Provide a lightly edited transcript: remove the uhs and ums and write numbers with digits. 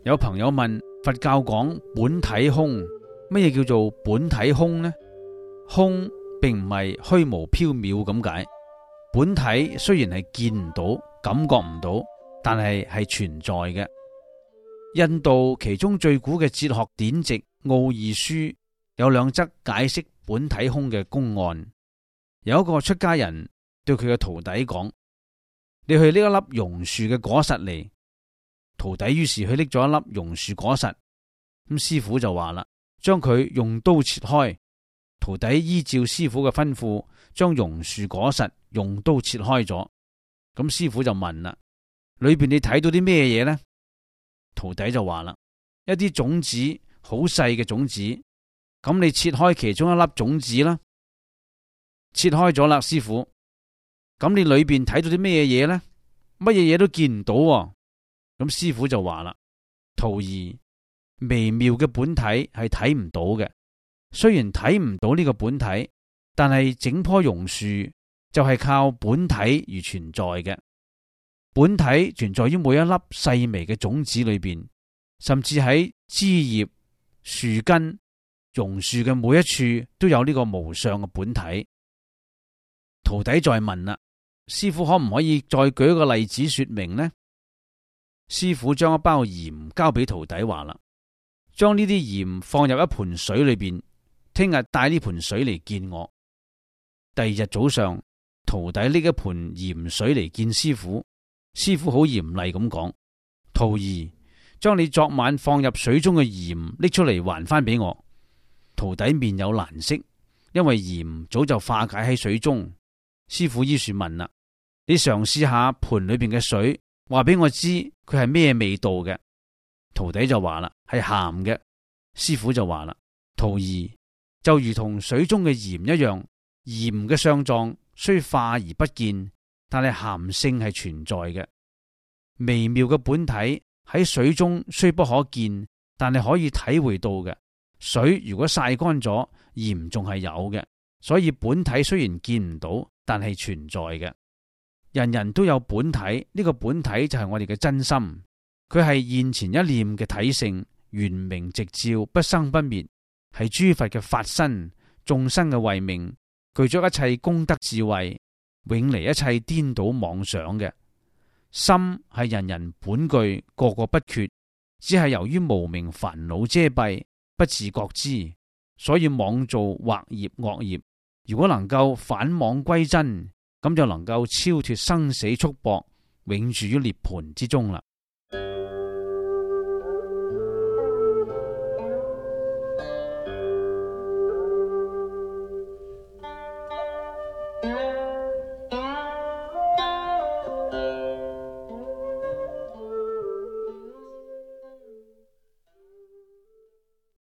有朋友問，佛教講本體空，乜嘢叫做本體空呢？空並唔係虛無縹緲咁解，本體雖然係見唔到、感覺唔到，但係存在嘅。印度其中最古嘅哲學典籍《奧義書》有兩則解釋本體空嘅公案。有一個出家人對佢嘅徒弟講：你去拎一粒榕樹嘅果實嚟。徒弟於是去拎咗一粒榕樹果實，咁師父就話啦，將佢用刀切開。徒弟依照師父嘅吩咐，將榕樹果實用刀切開咗。咁師父就問啦：裏邊你睇到啲咩嘢呢？徒弟就話啦：一啲種子，好細嘅種子。咁你切開其中一粒種子啦，切開咗啦，師父。咁你裏邊睇到啲咩嘢呢？乜嘢嘢都見唔到喎。咁師父就話啦：徒兒，微妙嘅本體係睇唔到嘅。雖然睇唔到呢個本體，但係整棵榕樹就係靠本體而存在嘅。本體存在於每一粒細微嘅種子裏邊，甚至喺枝葉、樹根、榕樹嘅每一處都有呢個無上嘅本體。徒弟再問啦：師父可唔可以再舉一個例子說明呢？師父將一包鹽交俾徒弟，話啦：將呢啲鹽放入一盆水裏邊，聽日帶呢盆水嚟見我。第二日早上，徒弟拎一盆鹽水嚟見師父。師父好嚴厲咁講：徒兒，將你昨晚放入水中嘅鹽拎出嚟還翻俾我。徒弟面有難色，因為鹽早就化解喺水中。師父於是問啦：你嘗試下盆裏邊嘅水，話俾我知佢係咩味道嘅。徒弟就話啦：係鹹嘅。師父就話啦：徒兒，就如同水中嘅鹽一樣，鹽嘅相狀雖化而不見，但係鹹性係存在嘅。微妙嘅本體喺水中雖不可見，但係可以體會到嘅。水如果曬乾咗，鹽仲係有嘅。所以本體雖然見唔到，但係存在嘅。人人都有本體，呢個本體就係我哋嘅真心。佢係現前一念嘅體性，圓明直照，不生不滅，係諸佛嘅法身，眾生嘅慧命，具咗一切功德智慧，永離一切顛倒妄想嘅。心係人人本具，個個不缺，只係由於無明煩惱遮蔽，不自覺知，所以妄造惑業惡業。如果能夠返妄歸真，咁就能夠超脫生死束縛，永住於涅槃之中啦。